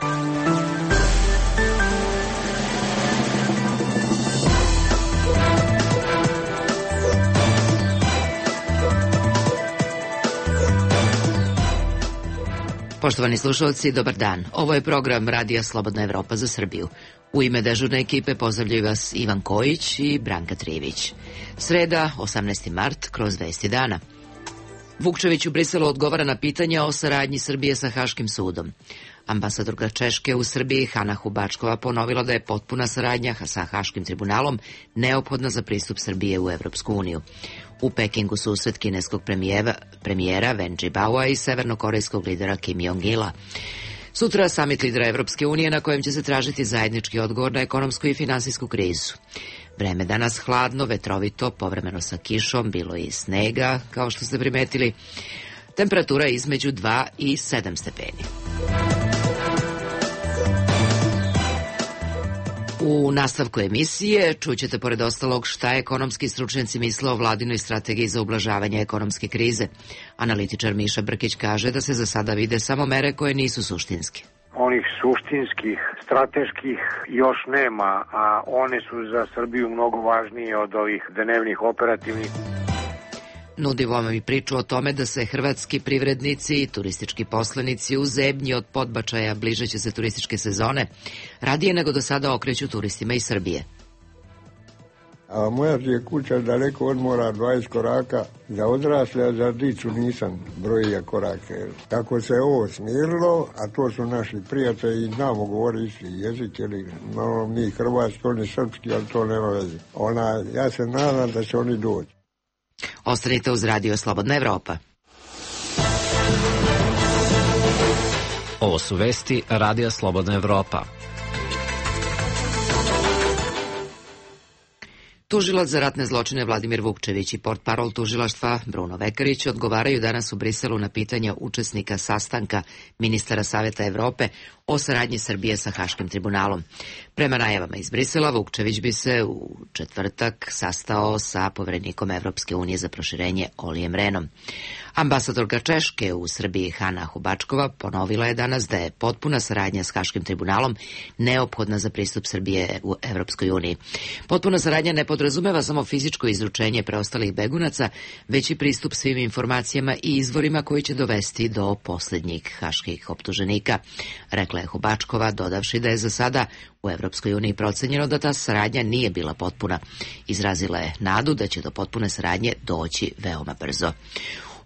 Poštovani slušalci, dobar dan. Ovo je program Radija Slobodna Evropa za Srbiju. U ime dežurne ekipe pozdravljaju vas Ivan Kojić i Branka Trijević. Sreda, 18. mart, kroz 20 dana. Vukčević u Briselu odgovara na pitanja o saradnji Srbije sa Haškim sudom. Ambasadorka Češke u Srbiji Hana Hubačkova ponovila da je potpuna saradnja sa Haškim tribunalom neophodna za pristup Srbije u Evropsku uniju. U Pekingu susret kineskog premijera Wen Jiabaoa i severnokorejskog lidera Kim Jong-ila. Sutra samit lidera Evropske unije na kojem će se tražiti zajednički odgovor na ekonomsku i finansijsku krizu. Vreme danas hladno, vetrovito, povremeno sa kišom, bilo i snega, kao što ste primetili. Temperatura između 2 i 7 stepeni. U nastavku emisije čućete pored ostalog šta ekonomski stručnjaci misle o vladinoj strategiji za ublažavanje ekonomske krize. Analitičar Miša Brkić kaže da se za sada vide samo mere koje nisu suštinske. Onih suštinskih, strateških još nema, a one su za Srbiju mnogo važnije od ovih dnevnih operativnih. Nudimo vam i priču o tome da se hrvatski privrednici i turistički poslenici u zebnji od podbačaja bližeće se turističke sezone radije nego do sada okreću turistima iz Srbije. A moja je kuća daleko od mora 20 koraka za odrasle, a za dicu nisam brojio korake. Tako se ovo smirilo, a to su naši prijatelji i znamo govori isti jezik, ili no, mi hrvatski, oni srpski, ali to nema veze. Ja se nadam da će oni doći. Ostanite uz Radio Slobodna Evropa. Ovo su vesti Radija Slobodna Evropa. Tužilac za ratne zločine Vladimir Vukčević i portparol tužilaštva Bruno Vekarić odgovaraju danas u Briselu na pitanja učesnika sastanka ministara Saveta Evrope o saradnji Srbije sa Haškim tribunalom. Prema najavama iz Brisela, Vukčević bi se u četvrtak sastao sa poverenikom Evropske unije za proširenje Olijem Rehnom. Ambasadorka Češke u Srbiji Hana Hubačkova ponovila je danas da je potpuna saradnja s Haškim tribunalom neophodna za pristup Srbije u Evropskoj uniji. Potpuna saradnja ne podrazumeva samo fizičko izručenje preostalih begunaca, već i pristup svim informacijama i izvorima koji će dovesti do posljednjih haških optuženika, rekla je Hubačkova, dodavši da je za sada u Evropskoj uniji procenjeno da ta saradnja nije bila potpuna. Izrazila je nadu da će do potpune saradnje doći veoma brzo.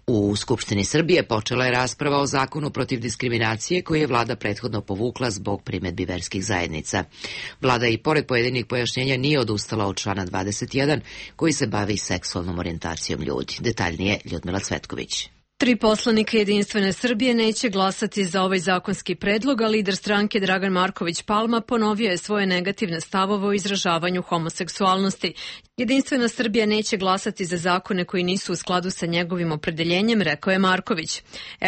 U Skupštini Srbije počela je rasprava o zakonu protiv diskriminacije koji je vlada prethodno povukla zbog primedbi verskih zajednica. Vlada i pored pojedinih pojašnjenja nije odustala od člana 21 koji se bavi seksualnom orijentacijom ljudi. Detaljnije Ljudmila Cvetković. 3 poslanika Jedinstvene Srbije neće glasati za ovaj zakonski predlog, a lider stranke Dragan Marković Palma ponovio je svoje negativne stavove o izražavanju homoseksualnosti. Jedinstvena Srbija neće glasati za zakone koji nisu u skladu sa njegovim opredeljenjem, rekao je Marković.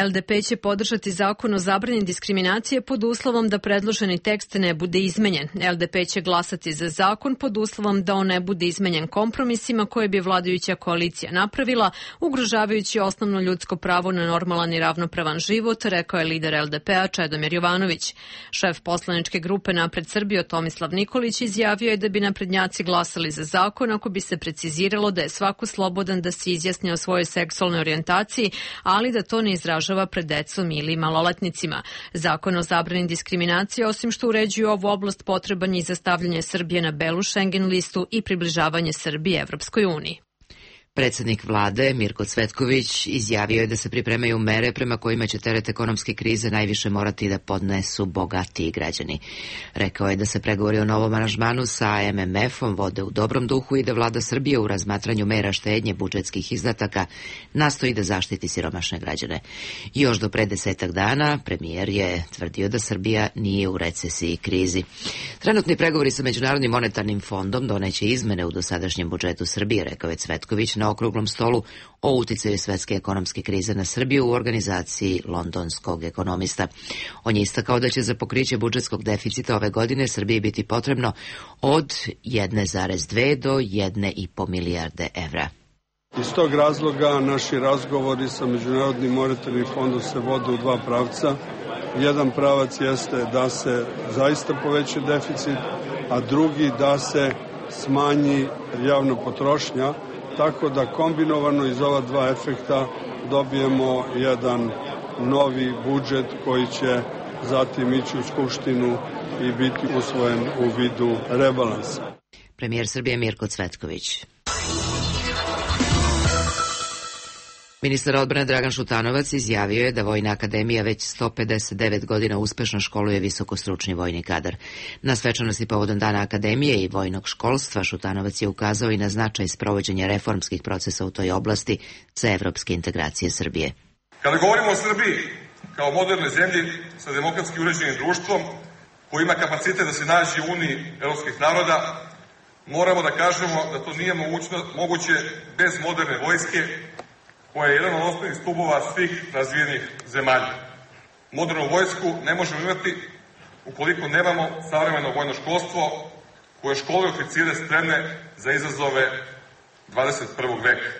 LDP će podržati zakon o zabrani diskriminacije pod uslovom da predloženi tekst ne bude izmenjen. LDP će glasati za zakon pod uslovom da on ne bude izmenjen kompromisima koje bi vladajuća koalicija napravila, ugrožavajući osnovno ljudsko pravo na normalan i ravnopravan život, rekao je lider LDP-a Čedomir Jovanović. Šef poslaničke grupe Napred Srbijo Tomislav Nikolić izjavio je da bi naprednjaci glasali za zakon ako bi se preciziralo da je svako slobodan da se izjasni o svojoj seksualnoj orijentaciji, ali da to ne izražava pred decom ili maloletnicima. Zakon o zabrani diskriminacije, osim što uređuje ovu oblast, potreban je i za stavljanje Srbije na belu Schengen listu i približavanje Srbije Evropskoj uniji. Predsjednik vlade Mirko Cvetković izjavio je da se pripremaju mere prema kojima će teret ekonomske krize najviše morati da podnesu bogatiji građani. Rekao je da se pregovori o novom aranžmanu sa MMF-om vode u dobrom duhu i da vlada Srbije u razmatranju mera štednje budžetskih izdataka nastoji da zaštiti siromašne građane. Još do pre 10 dana premijer je tvrdio da Srbija nije u recesiji i krizi. Trenutni pregovori sa Međunarodnim monetarnim fondom doneće izmene u dosadašnjem budžetu Srbije, rekao je Cvetković na okruglom stolu o uticaju svetske ekonomske krize na Srbiju u organizaciji londonskog ekonomista. On je istakao da će za pokriće budžetskog deficita ove godine Srbiji biti potrebno od 1,2 do 1,5 milijarde evra. Iz tog razloga naši razgovori sa Međunarodnim monetarnim fondom se vode u dva pravca. Jedan pravac jeste da se zaista poveća deficit, a drugi da se smanji javna potrošnja, tako da kombinovano iz ova dva efekta dobijemo jedan novi budžet koji će zatim ići u Skupštinu i biti usvojen u vidu rebalansa. Premijer Srbije Mirko Cvetković. Ministar odbrane Dragan Šutanovac izjavio je da Vojna akademija već 159 godina uspešno školuje visokostručni vojni kadar. Na svečanosti povodom Dana akademije i vojnog školstva Šutanovac je ukazao i na značaj sprovođenja reformskih procesa u toj oblasti za evropske integracije Srbije. Kada govorimo o Srbiji kao modernoj zemlji sa demokratski uređenim društvom koji ima kapacitet da se nađe u Uniji evropskih naroda, moramo da kažemo da to nije moguće bez moderne vojske, koja je jedan od osnovnih stubova svih razvijenih zemalja. Modernu vojsku ne možemo imati ukoliko nemamo savremeno vojno školstvo koje školuje oficire spremne za izazove 21. veka.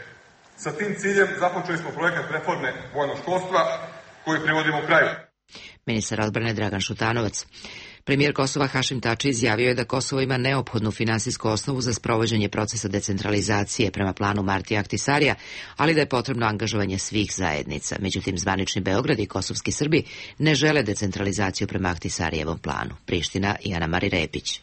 Sa tim ciljem započeli smo projekat reforme vojnog školstva koji privodimo kraju. Ministar odbrane Dragan Šutanovac. Premijer Kosova Hašim Tači izjavio je da Kosovo ima neophodnu finansijsku osnovu za sprovođenje procesa decentralizacije prema planu Martija Ahtisarija, ali da je potrebno angažovanje svih zajednica. Međutim, zvanični Beograd i kosovski Srbi ne žele decentralizaciju prema Ahtisarijevom planu. Priština i Ana Mari Repić.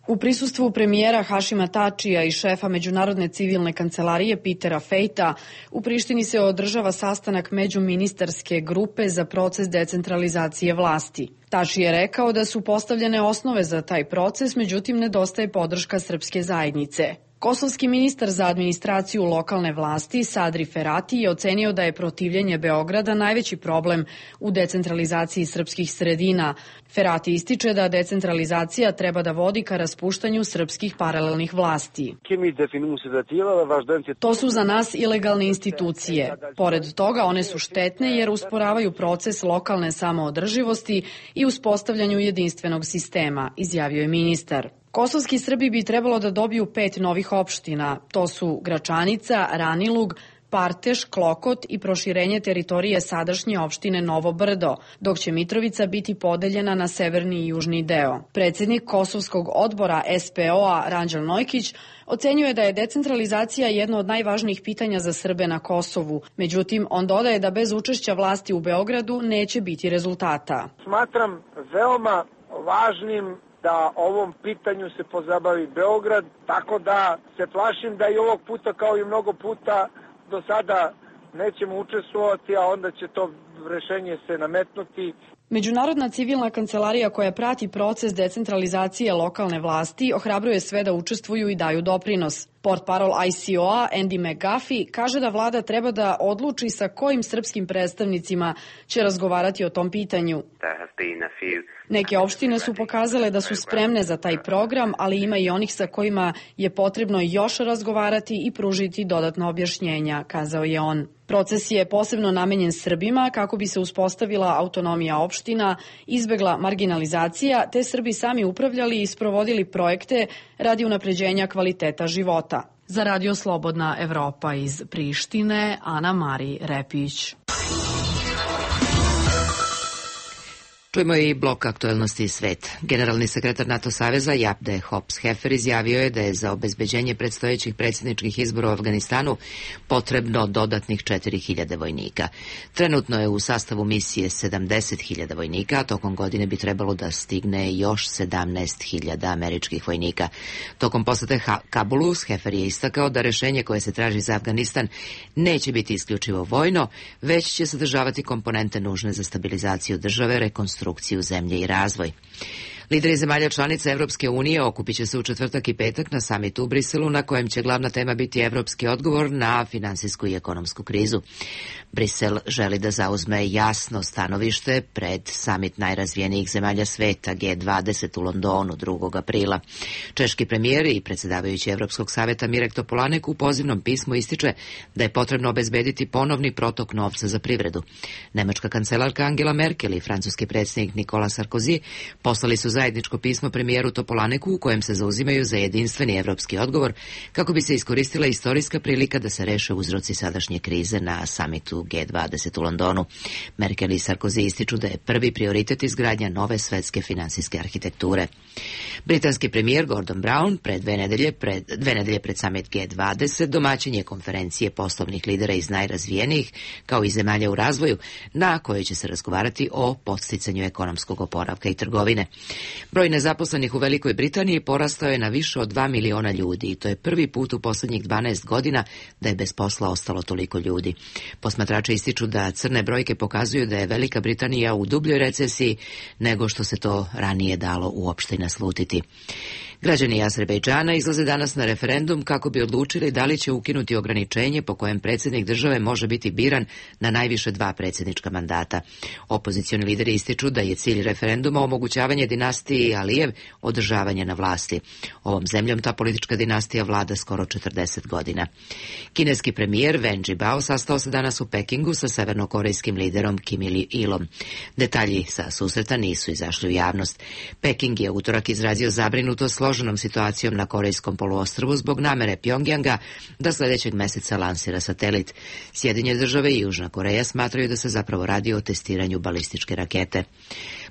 U prisustvu premijera Hašima Tačija i šefa Međunarodne civilne kancelarije Petera Fejta, u Prištini se održava sastanak međuministarske grupe za proces decentralizacije vlasti. Tači je rekao da su postavljene osnove za taj proces, međutim nedostaje podrška srpske zajednice. Kosovski ministar za administraciju lokalne vlasti Sadri Ferati je ocenio da je protivljenje Beograda najveći problem u decentralizaciji srpskih sredina. Ferati ističe da decentralizacija treba da vodi ka raspuštanju srpskih paralelnih vlasti. To su za nas ilegalne institucije. Pored toga, one su štetne jer usporavaju proces lokalne samoodrživosti i uspostavljanju jedinstvenog sistema, izjavio je ministar. Kosovski Srbi bi trebalo da dobiju 5 novih opština. To su Gračanica, Ranilug, Parteš, Klokot i proširenje teritorije sadašnje opštine Novo Brdo, dok će Mitrovica biti podeljena na severni i južni deo. Predsjednik Kosovskog odbora SPO-a Ranđel Nojkić ocenjuje da je decentralizacija jedno od najvažnijih pitanja za Srbe na Kosovu. Međutim, on dodaje da bez učešća vlasti u Beogradu neće biti rezultata. Smatram veoma važnim da ovom pitanju se pozabavi Beograd, tako da se plašim da i ovog puta kao i mnogo puta do sada nećemo učestvovati, a onda će to rešenje se nametnuti. Međunarodna civilna kancelarija koja prati proces decentralizacije lokalne vlasti ohrabruje sve da učestvuju i daju doprinos. Portparol ICO-a Andy McGuffey kaže da vlada treba da odluči sa kojim srpskim predstavnicima će razgovarati o tom pitanju. Neke opštine su pokazale da su spremne za taj program, ali ima i onih sa kojima je potrebno još razgovarati i pružiti dodatno objašnjenja, kazao je on. Proces je posebno namenjen Srbima kako bi se uspostavila autonomija opština, izbegla marginalizacija, te Srbi sami upravljali i sprovodili projekte radi unapređenja kvaliteta života. Za Radio Slobodna Evropa iz Prištine, Ana Mari Repić. Čujemo i blok aktuelnosti iz sveta. Generalni sekretar NATO saveza Japde Hops-Hefer izjavio je da je za obezbeđenje predstojećih predsjedničkih izbora u Afganistanu potrebno dodatnih 4.000 vojnika. Trenutno je u sastavu misije 70.000 vojnika, a tokom godine bi trebalo da stigne još 17.000 američkih vojnika. Tokom posete Kabulu, Hefer je istakao da rešenje koje se traži za Afganistan neće biti isključivo vojno, već će sadržavati komponente nužne za stabilizaciju države, rekonstrukciju zemlje i razvoj. Lideri zemalja članica Evropske unije okupit će se u četvrtak i petak na samitu u Briselu, na kojem će glavna tema biti evropski odgovor na finansijsku i ekonomsku krizu. Brisel želi da zauzme jasno stanovište pred samit najrazvijenijih zemalja sveta G20 u Londonu 2. aprila. Češki premijer i predsjedavajući Evropskog saveta Mirek Topolanek u pozivnom pismu ističe da je potrebno obezbediti ponovni protok novca za privredu. Nemačka kancelarka Angela Merkel i francuski predsjednik Nicolas Sarkozy poslali su zajedničko pismo premijeru Topolaneku u kojem se zauzimaju za jedinstveni evropski odgovor kako bi se iskoristila istorijska prilika da se reše uzroci sadašnje krize na samitu G20 u Londonu. Merkel i Sarkozy ističu da je prvi prioritet izgradnja nove svetske finansijske arhitekture. Britanski premijer Gordon Brown dve nedelje pred samit G20 domaćin je konferencije poslovnih lidera iz najrazvijenijih kao i zemalja u razvoju na kojoj će se razgovarati o podsticanju ekonomskog oporavka i trgovine. Broj nezaposlenih u Velikoj Britaniji porastao je na više od 2 miliona ljudi i to je prvi put u poslednjih 12 godina da je bez posla ostalo toliko ljudi. Posmatrači ističu da crne brojke pokazuju da je Velika Britanija u dubljoj recesiji nego što se to ranije dalo uopšte naslutiti. Građani Azerbejdžana izlaze danas na referendum kako bi odlučili da li će ukinuti ograničenje po kojem predsjednik države može biti biran na najviše 2 predsjednička mandata. Opozicioni lideri ističu da je cilj referenduma omogućavanje dinastiji Alijev održavanje na vlasti. Ovom zemljom ta politička dinastija vlada skoro 40 godina. Kineski premijer Wen Jiabao sastao se danas u Pekingu sa severnokorejskim liderom Kim Il-ilom. Detalji sa susreta nisu izašli u javnost. Peking je utorak izrazio zabrinutost složenom situacijom na Korejskom poluostrvu zbog namere Pjongjanga da sljedećeg meseca lansira satelit. Sjedinjene države i Južna Koreja smatraju da se zapravo radi o testiranju balističke rakete.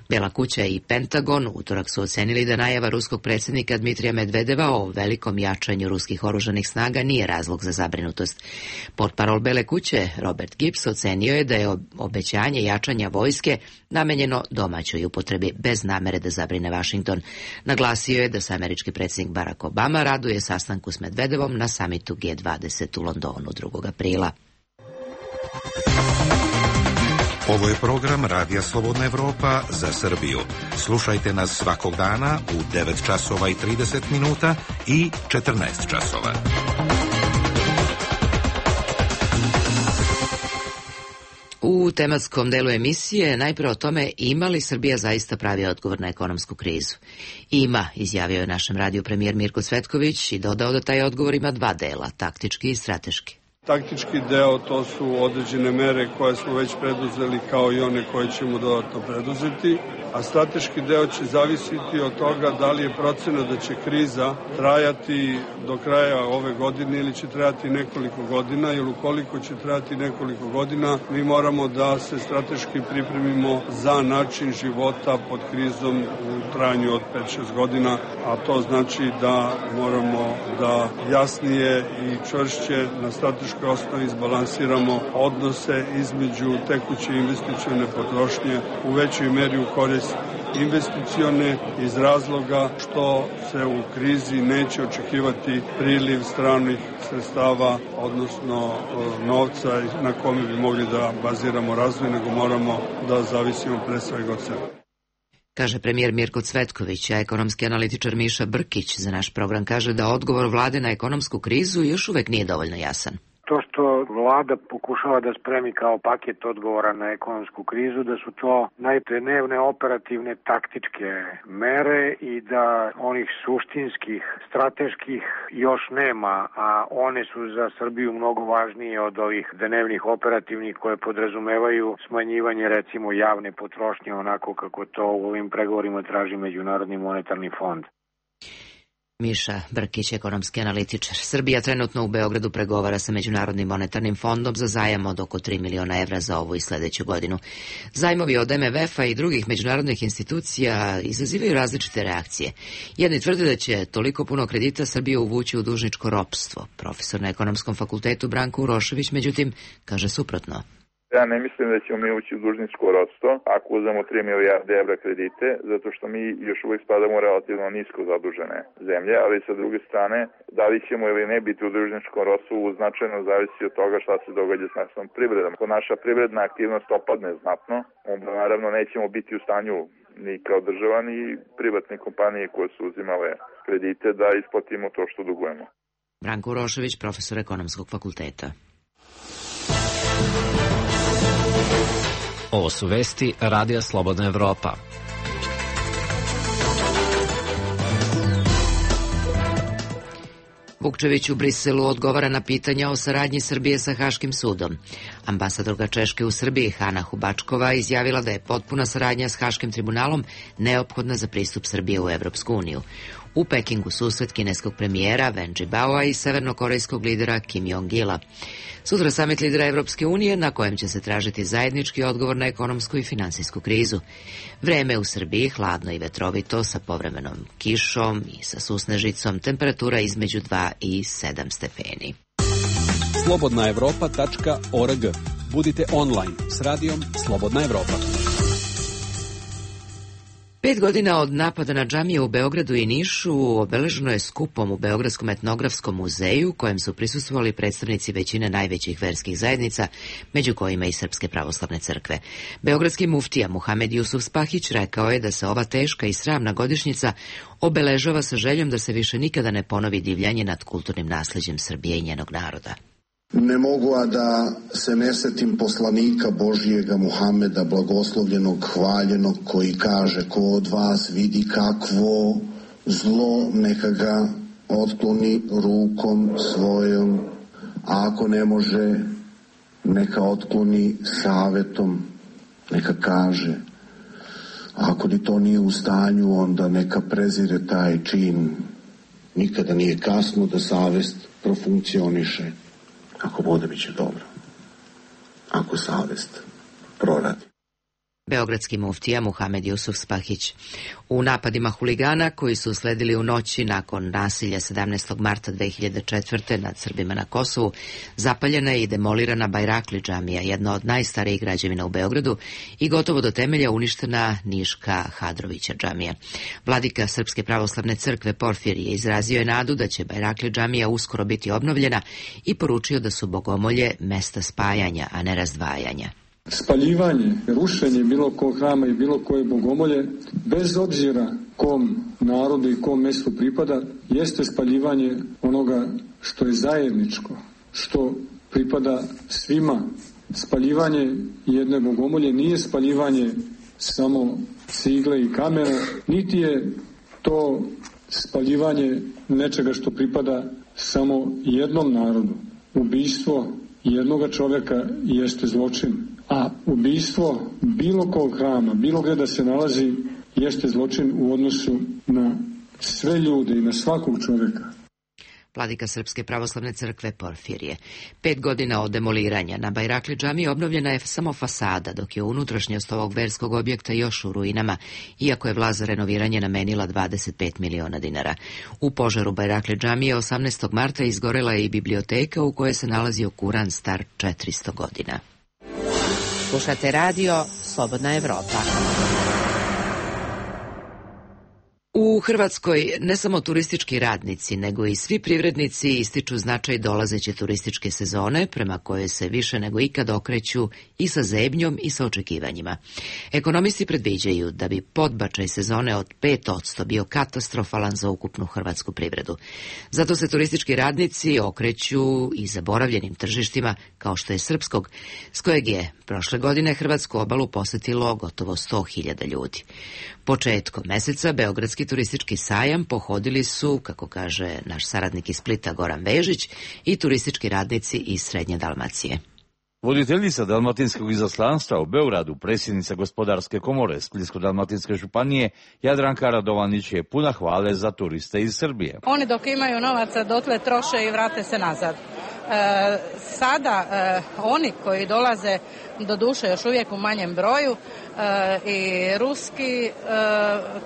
Bela kuća i Pentagon utorak su ocenili da najava ruskog predsjednika Dmitrija Medvedeva o velikom jačanju ruskih oružanih snaga nije razlog za zabrinutost. Portparol Bele kuće Robert Gibbs ocenio je da je obećanje jačanja vojske namenjeno domaćoj upotrebi bez namere da zabrine Vašington. Naglasio je da se američki predsjednik Barack Obama raduje sastanku s Medvedevom na samitu G20 u Londonu 2. aprila. Ovo je program Radija Slobodna Evropa za Srbiju. Slušajte nas svakog dana u 9 časova i 30 minuta i 14 časova. U tematskom delu emisije najpre o tome ima li Srbija zaista pravi odgovor na ekonomsku krizu. Ima, izjavio je našem radiju premijer Mirko Cvetković i dodao da taj odgovor ima 2 dela, taktički i strateški. Taktički deo to su određene mere koje smo već preduzeli kao i one koje ćemo dodatno preduzeti, a strateški deo će zavisiti od toga da li je procena da će kriza trajati do kraja ove godine ili će trajati nekoliko godina, jer ukoliko će trajati nekoliko godina mi moramo da se strateški pripremimo za način života pod krizom u trajanju od 5-6 godina, a to znači da moramo da jasnije i čvršće na strateškoj osnovi izbalansiramo odnose između tekuće investicione potrošnje u većoj meri u korist investicione iz razloga što se u krizi neće očekivati priliv stranih sredstava, odnosno novca na kome bi mogli da baziramo razvoj, nego moramo da zavisimo pre svega od sebe. Kaže premijer Mirko Cvetković, a ekonomski analitičar Miša Brkić za naš program kaže da odgovor vlade na ekonomsku krizu još uvek nije dovoljno jasan. To što vlada pokušava da spremi kao paket odgovora na ekonomsku krizu, da su to najdnevne operativne taktičke mere i da onih suštinskih, strateških još nema, a one su za Srbiju mnogo važnije od ovih dnevnih operativnih koje podrazumevaju smanjivanje recimo javne potrošnje onako kako to u ovim pregovorima traži Međunarodni monetarni fond. Miša Brkić, ekonomski analitičar. Srbija trenutno u Beogradu pregovara sa Međunarodnim monetarnim fondom za zajam od oko 3 miliona evra za ovu i sledeću godinu. Zajmovi od MMF-a i drugih međunarodnih institucija izazivaju različite reakcije. Jedni tvrde da će toliko puno kredita Srbiju uvući u dužničko ropstvo. Profesor na Ekonomskom fakultetu Branko Urošević, međutim, kaže suprotno. Ja ne mislim da ćemo mi ući u dužničko ropstvo ako uzmemo 3 milijarde evra kredite, zato što mi još uvijek spadamo relativno nisko zadužene zemlje, ali sa druge strane, da li ćemo ili ne biti u dužničkom ropstvu značajno zavisi od toga šta se događa s našom privredom. Ako naša privredna aktivnost opadne znatno, onda naravno nećemo biti u stanju ni kao država ni privatne kompanije koje su uzimale kredite da isplatimo to što dugujemo. Branko Urošević, profesor Ekonomskog fakulteta. Ovo su vesti Radija Slobodna Evropa. Vukčević u Briselu odgovara na pitanja o saradnji Srbije sa Haškim sudom. Ambasadorka Češke u Srbiji Hana Hubačkova izjavila da je potpuna saradnja s Haškim tribunalom neophodna za pristup Srbije u Evropsku uniju. U Pekingu susret kineskog premijera Wen Jiabaoa i severnokorejskog lidera Kim Jong-ila. Sutra samit lidera Evropske unije na kojem će se tražiti zajednički odgovor na ekonomsku i finansijsku krizu. Vreme u Srbiji hladno i vetrovito sa povremenom kišom i sa susnežicom, temperatura između 2 i 7 stepeni. slobodnaevropa.org. Budite online s radijom Slobodna Evropa. 5 godina od napada na džamije u Beogradu i Nišu obeleženo je skupom u Beogradskom etnografskom muzeju, kojem su prisustvovali predstavnici većine najvećih verskih zajednica, među kojima i Srpske pravoslavne crkve. Beogradski muftija Muhamed Jusuf Spahić rekao je da se ova teška i sramna godišnjica obeležava sa željom da se više nikada ne ponovi divljanje nad kulturnim nasleđem Srbije i njenog naroda. Ne mogu a da se ne setim poslanika Božijega Muhameda, blagoslovljenog, hvaljenog, koji kaže: ko od vas vidi kakvo zlo, neka ga otkloni rukom svojom, a ako ne može, neka otkloni savetom, neka kaže. A ako ni to nije u stanju, onda neka prezire taj čin. Nikada nije kasno da savest profunkcioniše. Ako bude, bit će dobro. Ako savest proradi. Beogradski muftija Muhamed Jusuf Spahić. U napadima huligana koji su usledili u noći nakon nasilja 17. marta 2004. nad Srbima na Kosovu, zapaljena je i demolirana Bajrakli džamija, jedna od najstarijih građevina u Beogradu, i gotovo do temelja uništena Niška Hadrovića džamija. Vladika Srpske pravoslavne crkve Porfirije izrazio je nadu da će Bajrakli džamija uskoro biti obnovljena i poručio da su bogomolje mesta spajanja, a ne razdvajanja. Spaljivanje, rušenje bilo kog hrama i bilo koje bogomolje, bez obzira kom narodu i kom mjestu pripada, jeste spaljivanje onoga što je zajedničko, što pripada svima. Spaljivanje jedne bogomolje nije spaljivanje samo cigle i kamena, niti je to spaljivanje nečega što pripada samo jednom narodu. Ubijstvo jednoga čovjeka jeste zločin. A ubijstvo bilo kog hrama, bilo gdje da se nalazi, jeste zločin u odnosu na sve ljude i na svakog čovjeka. Vladika Srpske pravoslavne crkve Porfirije. 5 godina od demoliranja na Bajrakli džamiji obnovljena je samo fasada, dok je unutrašnjost ovog verskog objekta još u ruinama, iako je vlast za renoviranje namenila 25 miliona dinara. U požaru Bajrakli džamije 18. marta izgorela je i biblioteka u kojoj se nalazio Kuran star 400 godina. Slušate radio Slobodna Evropa. U Hrvatskoj ne samo turistički radnici, nego i svi privrednici ističu značaj dolazeće turističke sezone, prema kojoj se više nego ikad okreću i sa zebnjom i sa očekivanjima. Ekonomisti predviđaju da bi podbačaj sezone od 5% bio katastrofalan za ukupnu hrvatsku privredu. Zato se turistički radnici okreću i zaboravljenim tržištima, kao što je srpskog, s kojeg je prošle godine hrvatsku obalu posetilo gotovo 100.000 ljudi. Početkom meseca Beogradski turistički sajam pohodili su, kako kaže naš saradnik iz Splita Goran Vežić, i turistički radnici iz Srednje Dalmacije. Voditeljica Dalmatinskog izaslanstva u Beogradu, predsjednica Gospodarske komore Splitsko-dalmatinske županije Jadranka Radovanić je puna hvale za turiste iz Srbije. Oni dok imaju novaca dotle troše i vrate se nazad. Sada oni koji dolaze, do duše još uvijek u manjem broju, i ruski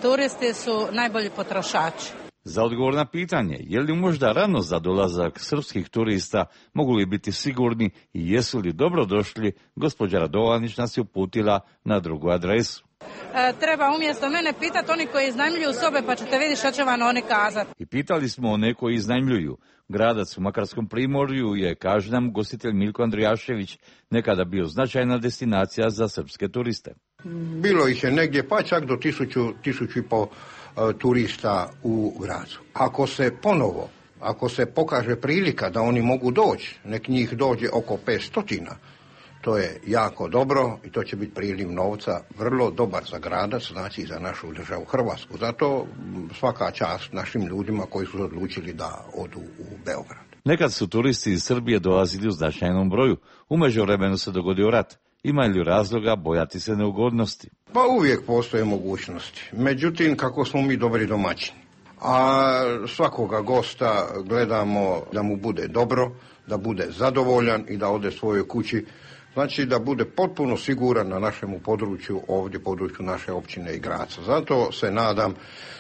turisti su najbolji potrošači. Za odgovor na pitanje je li možda rano za dolazak srpskih turista, mogu li biti sigurni i jesu li dobro došli, gospođa Radovanić nas je uputila na drugu adresu. Treba umjesto mene pitati oni koji iznajmljuju sobe, pa ćete vidjeti što će vam oni kazati. I pitali smo one koji iznajmljuju. Gradac u Makarskom primorju je, kaže nam gostitelj Milko Andrijašević, nekada bio značajna destinacija za srpske turiste. Bilo ih je negdje pa čak do 1000-1500 turista u gradu. Ako se pokaže prilika da oni mogu doći, nek njih dođe oko 500, To je jako dobro i to će biti priliv novca vrlo dobar za gradac, znači i za našu državu Hrvatsku. Zato svaka čast našim ljudima koji su odlučili da odu u Beograd. Nekad su turisti iz Srbije dolazili u značajnom broju. U međuvremenu se dogodio rat. Ima li razloga bojati se neugodnosti? Pa uvijek postoje mogućnosti. Međutim, kako smo mi dobri domaćini. A svakoga gosta gledamo da mu bude dobro, da bude zadovoljan i da ode svojoj kući. Znači da bude potpuno siguran na našemu području, ovdje području naše općine i Graca. Zato se nadam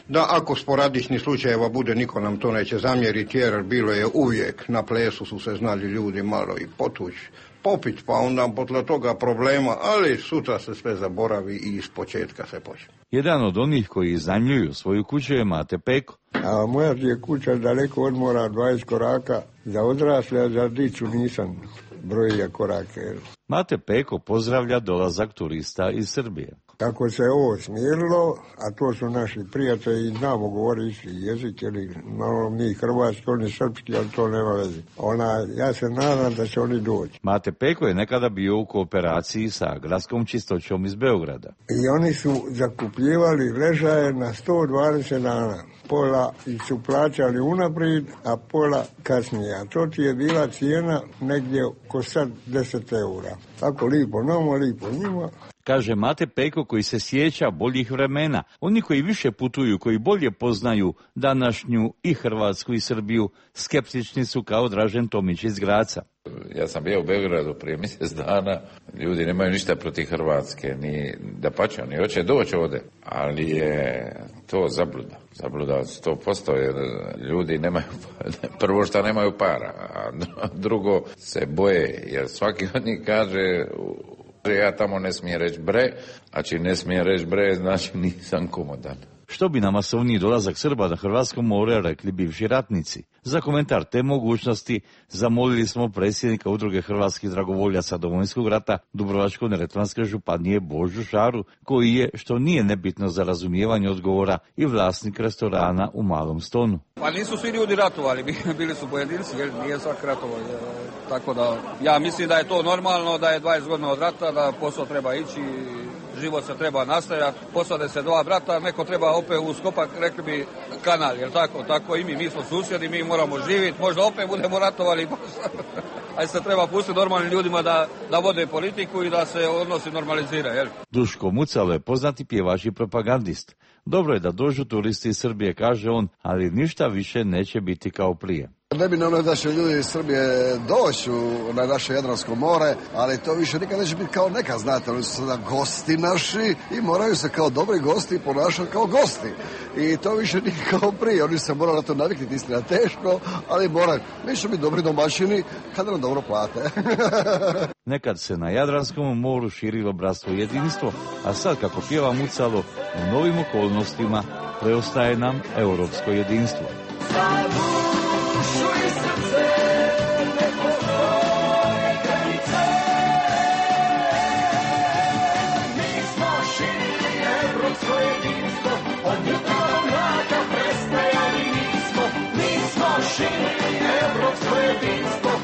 da ako sporadični slučajeva bude, niko nam to neće zamjeriti, jer bilo je uvijek, na plesu su se znali ljudi malo i potući, popit, pa onda potle toga problema, ali sutra se sve zaboravi i iz početka se počne. Jedan od onih koji iznajmljuju svoju kuću je Mate Peko. A moja je kuća daleko od mora, 20 koraka, za odrasle, a za dicu nisam brojio korake. Mate Peko pozdravlja dolazak turista iz Srbije. Kako se ovo smirilo, a to su naši prijatelji, znamo govoriti isti jezik, ili malo mi hrvatski, oni srpski, ali to nema veze. Ja se nadam da će oni doći. Mate Peko je nekada bio u kooperaciji sa gradskom čistoćom iz Beograda. I oni su zakupljivali ležaje na 120 dana. Pola su plaćali unaprijed, a pola kasnije. A to ti je bila cijena negdje oko sad 10 eura. Tako lipo nama, lipo njima. Kaže Mate Peko koji se sjeća boljih vremena. Oni koji više putuju, koji bolje poznaju današnju i Hrvatsku i Srbiju, skeptični su kao Dražen Tomić iz Graca. Ja sam bio u Beogradu prije mjesec dana, ljudi nemaju ništa protiv Hrvatske, ni dapače, oni hoće doći ovdje, ali je to zabluda. Zabluda 100%, jer ljudi nemaju, prvo što nemaju para, a drugo se boje, jer svaki od njih kaže, ja tamo ne smijem reći bre, a čim ne smijem reći bre, znači nisam komodan. Što bi na masovniji dolazak Srba na Hrvatsko more rekli bivši ratnici? Za komentar te mogućnosti zamolili smo predsjednika Udruge hrvatskih dragovoljaca Domovinskog rata Dubrovačko-neretvanske županije Božu Šaru, koji je, što nije nebitno za razumijevanje odgovora, i vlasnik restorana u Malom Stonu. Pa nisu svi ljudi ratovali, bili su pojedinci, jer nije svak ratovao. Tako da ja mislim da je to normalno, da je 20 godina od rata, da posao treba ići, život se treba nastavljati, posade se dva brata, neko treba opet uskopak, rekli bi kanal, jer tako i mi smo susjedi, mi moramo živjeti, možda opet budemo ratovali, ali se treba pustiti normalnim ljudima da vode politiku i da se odnosi normalizira. Jel? Duško Mucalo je poznati pjevač i propagandist. Dobro je da dođu turisti iz Srbije, kaže on, ali ništa više neće biti kao prije. Ne bi ono da će ljudi iz Srbije doći na naše Jadransko more, ali to više nikad neće biti kao nekad, znate, oni su sada gosti naši i moraju se kao dobri gosti ponašati kao gosti. I to više nije kao prije, oni se moraju na to naviknuti, istina teško, ali moraju. Mi ćemo biti dobri domaćini kada nam dobro plate. Nekad se na Jadranskom moru širilo bratstvo i jedinstvo, a sad, kako pjeva Mucalo, u novim okolnostima preostaje nam europsko jedinstvo.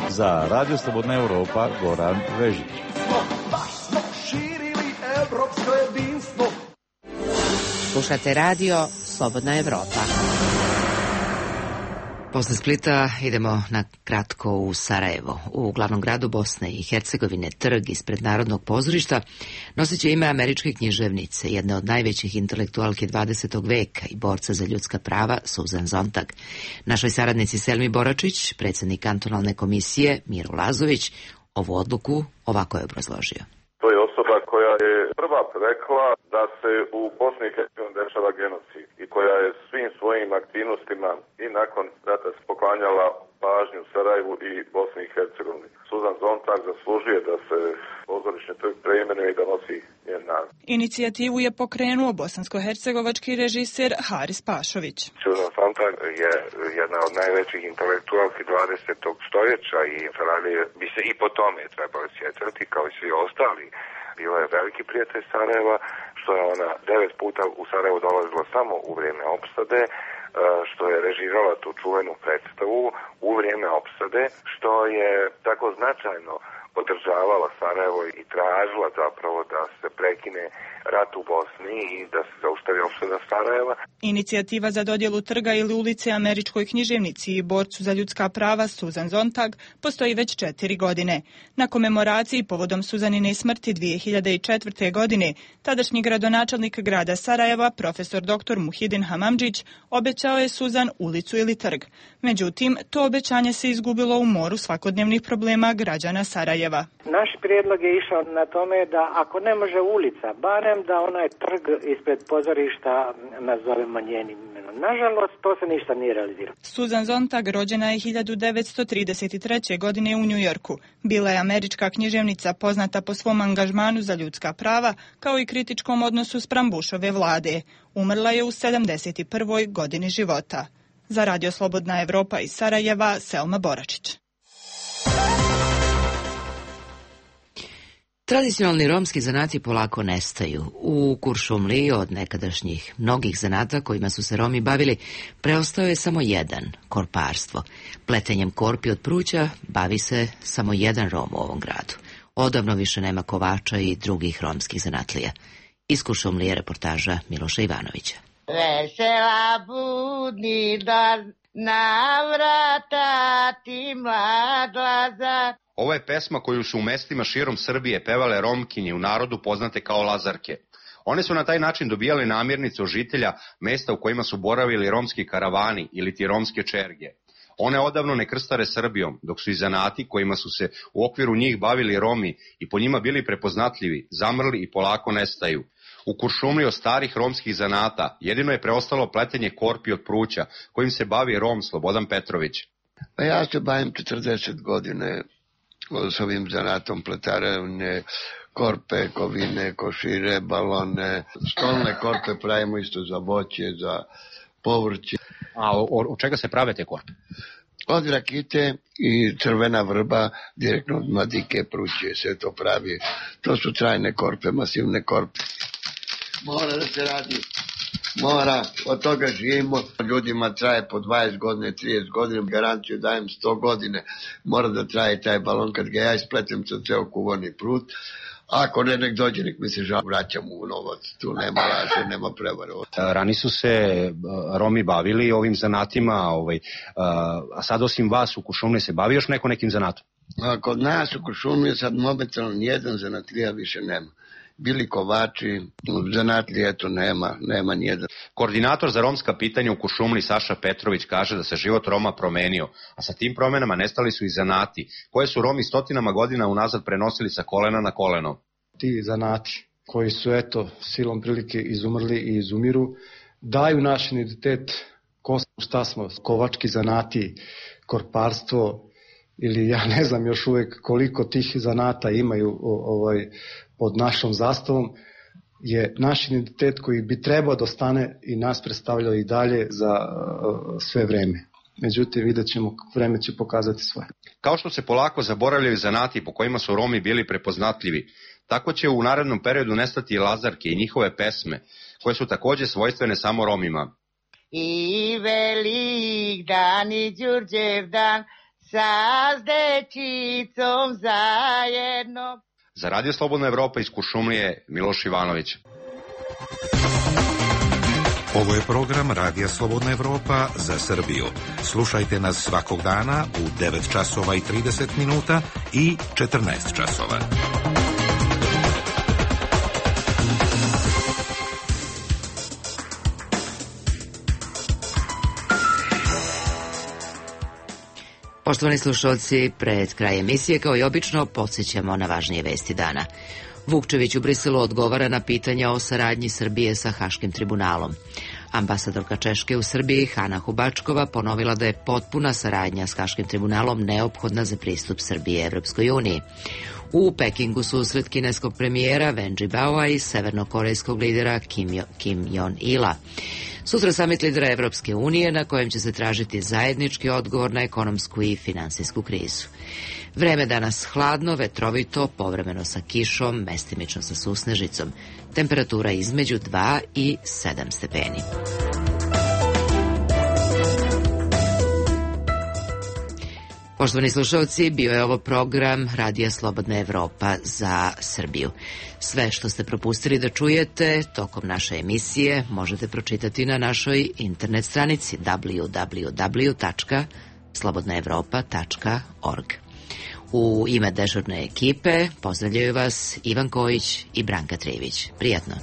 Za Radio Slobodna Evropa, Goran Vežić. Slušate Radio Slobodna Evropa. Posle Splita idemo na kratko u Sarajevo. U glavnom gradu Bosne i Hercegovine trg ispred Narodnog pozorišta noseće ime američke književnice, jedne od najvećih intelektualke 20. veka i borca za ljudska prava, Susan Sontag. Našoj saradnici Selmi Boračić, predsjednik kantonalne komisije Miro Lazović, ovu odluku ovako je obrazložio. To je osoba koja je prva rekla da se u Bosni i Hercegovini dešava genocid i koja je svim svojim aktivnostima i nakon rata poklanjala pažnju Sarajevu i Bosni i Hercegovini. Susan Sontag zaslužuje da se pozorišni trg preimenuje i da nosi njen naziv. Inicijativu je pokrenuo bosansko-hercegovački režiser Haris Pašović. Susan Sontag je jedna od najvećih intelektualki 20. stoljeća i Sarajevo bi se i po tome trebali sjećati kao i svi ostali. Bila je veliki prijatelj Sarajeva, što je ona 9 puta u Sarajevo dolazila samo u vrijeme opsade, što je režirala tu čuvenu predstavu u vrijeme opsade, što je tako značajno podržavala Sarajevo i tražila zapravo da se prekine rat u Bosni i da se zaustavi opsada Sarajeva. Inicijativa za dodjelu trga ili ulice američkoj književnici i borcu za ljudska prava Susan Sontag postoji već 4 godine. Na komemoraciji povodom Suzanine smrti 2004. godine tadašnji gradonačelnik grada Sarajeva, profesor dr. Muhidin Hamamdžić, obećao je Suzan ulicu ili trg. Međutim, to obećanje se izgubilo u moru svakodnevnih problema građana Sarajeva. Naš prijedlog je išao na tome da ako ne može ulica, barem da onaj trg ispred pozorišta nazovemo njenim imenom. Nažalost, to se ništa nije realiziralo. Susan Sontag rođena je 1933. godine u Njujorku. Bila je američka književnica poznata po svom angažmanu za ljudska prava, kao i kritičkom odnosu spram Bushove vlade. Umrla je u 71. godini života. Za Radio Slobodna Evropa iz Sarajeva, Selma Boračić. Tradicionalni romski zanati polako nestaju. U Kuršumliji od nekadašnjih mnogih zanata kojima su se Romi bavili, preostao je samo jedan, korparstvo. Pletenjem korpi od pruća bavi se samo jedan Rom u ovom gradu. Odavno više nema kovača i drugih romskih zanatlija. Iz Kuršumlije reportaža Miloša Ivanovića. Vesela budni dan, na vrata ti mladlaza. Ovo je pesma koju su u mestima širom Srbije pevale Romkinje, u narodu poznate kao Lazarke. One su na taj način dobijale namirnice od žitelja mesta u kojima su boravili romski karavani ili ti romske čerge. One odavno ne krstare Srbijom, dok su i zanati kojima su se u okviru njih bavili Romi i po njima bili prepoznatljivi, zamrli i polako nestaju. U Kuršumliji od starih romskih zanata jedino je preostalo pletenje korpi od pruća, kojim se bavi Rom Slobodan Petrović. Pa ja se bavim 40 godine s ovim zanatom, pletarevne, korpe, kovine, košire, balone, stolne korpe pravimo isto za voće, za povrće. A od čega se prave te korpe? Od rakite i crvena vrba, direktno od madike, pruće, sve to pravi. To su trajne korpe, masivne korpe. Mora da se radi. Mora, od toga živimo. Ljudima traje po 20 godine, 30 godina, garanciju dajem 100 godine. Mora da traje taj balon, kad ga ja ispletem sa ceo kuvani prut. Ako ne, nek dođe, nek mi se žal, vraćam u novac. Tu nema laže, nema prevare. Rani su se Romi bavili ovim zanatima, a sad osim vas u Kuršumliji se bavi još neko nekim zanatom? Kod nas u Kuršumliji sad momentalno nijedan zanatlija više nema. Bili kovači, zanatlije, eto nema nijedan. Koordinator za romska pitanja u Kuršumliji Saša Petrović kaže da se život Roma promenio, a sa tim promenama nestali su i zanati, koje su Romi stotinama godina unazad prenosili sa kolena na koleno. Ti zanati koji su, eto, silom prilike izumrli i izumiru, daju naš identitet, ko smo, šta smo, kovački zanati, korparstvo, ili ja ne znam još uvijek koliko tih zanata imaju pod našom zastavom, je naš identitet koji bi trebao da ostane i nas predstavljao i dalje za sve vreme. Međutim, vidjet ćemo, vreme će pokazati svoje. Kao što se polako zaboravljaju zanati po kojima su Romi bili prepoznatljivi, tako će u narednom periodu nestati i Lazarke i njihove pesme, koje su takođe svojstvene samo Romima. I velik dan i Đurđev dan, sa dečicom zajedno. Za Radio Slobodna Evropa iz Kuršumlije, Miloš Ivanović. Ovo je program Radija Slobodna Evropa za Srbiju. Slušajte nas svakog dana u 9 časova i 30 minuta i 14 časova. Poštovani slušalci, pred kraj emisije, kao i obično, podsjećamo na važnije vesti dana. Vukčević u Briselu odgovara na pitanja o saradnji Srbije sa Haškim tribunalom. Ambasadorka Češke u Srbiji, Hana Hubačkova, ponovila da je potpuna saradnja s Haškim tribunalom neophodna za pristup Srbije Evropskoj uniji. U Pekingu susret kineskog premijera Wen Jiabaoa i severnokorejskog lidera Kim Jong-ila. Sutra samit lidera Evropske unije na kojem će se tražiti zajednički odgovor na ekonomsku i finansijsku krizu. Vreme danas hladno, vetrovito, povremeno sa kišom, mestimično sa susnežicom. Temperatura između 2 i 7 stepeni. Poštovani slušalci, bio je ovo program Radija Slobodna Evropa za Srbiju. Sve što ste propustili da čujete tokom naše emisije možete pročitati na našoj internet stranici www.slobodnaevropa.org. U ime dežurne ekipe pozdravljaju vas Ivan Kojić i Branka Trivić. Prijatno.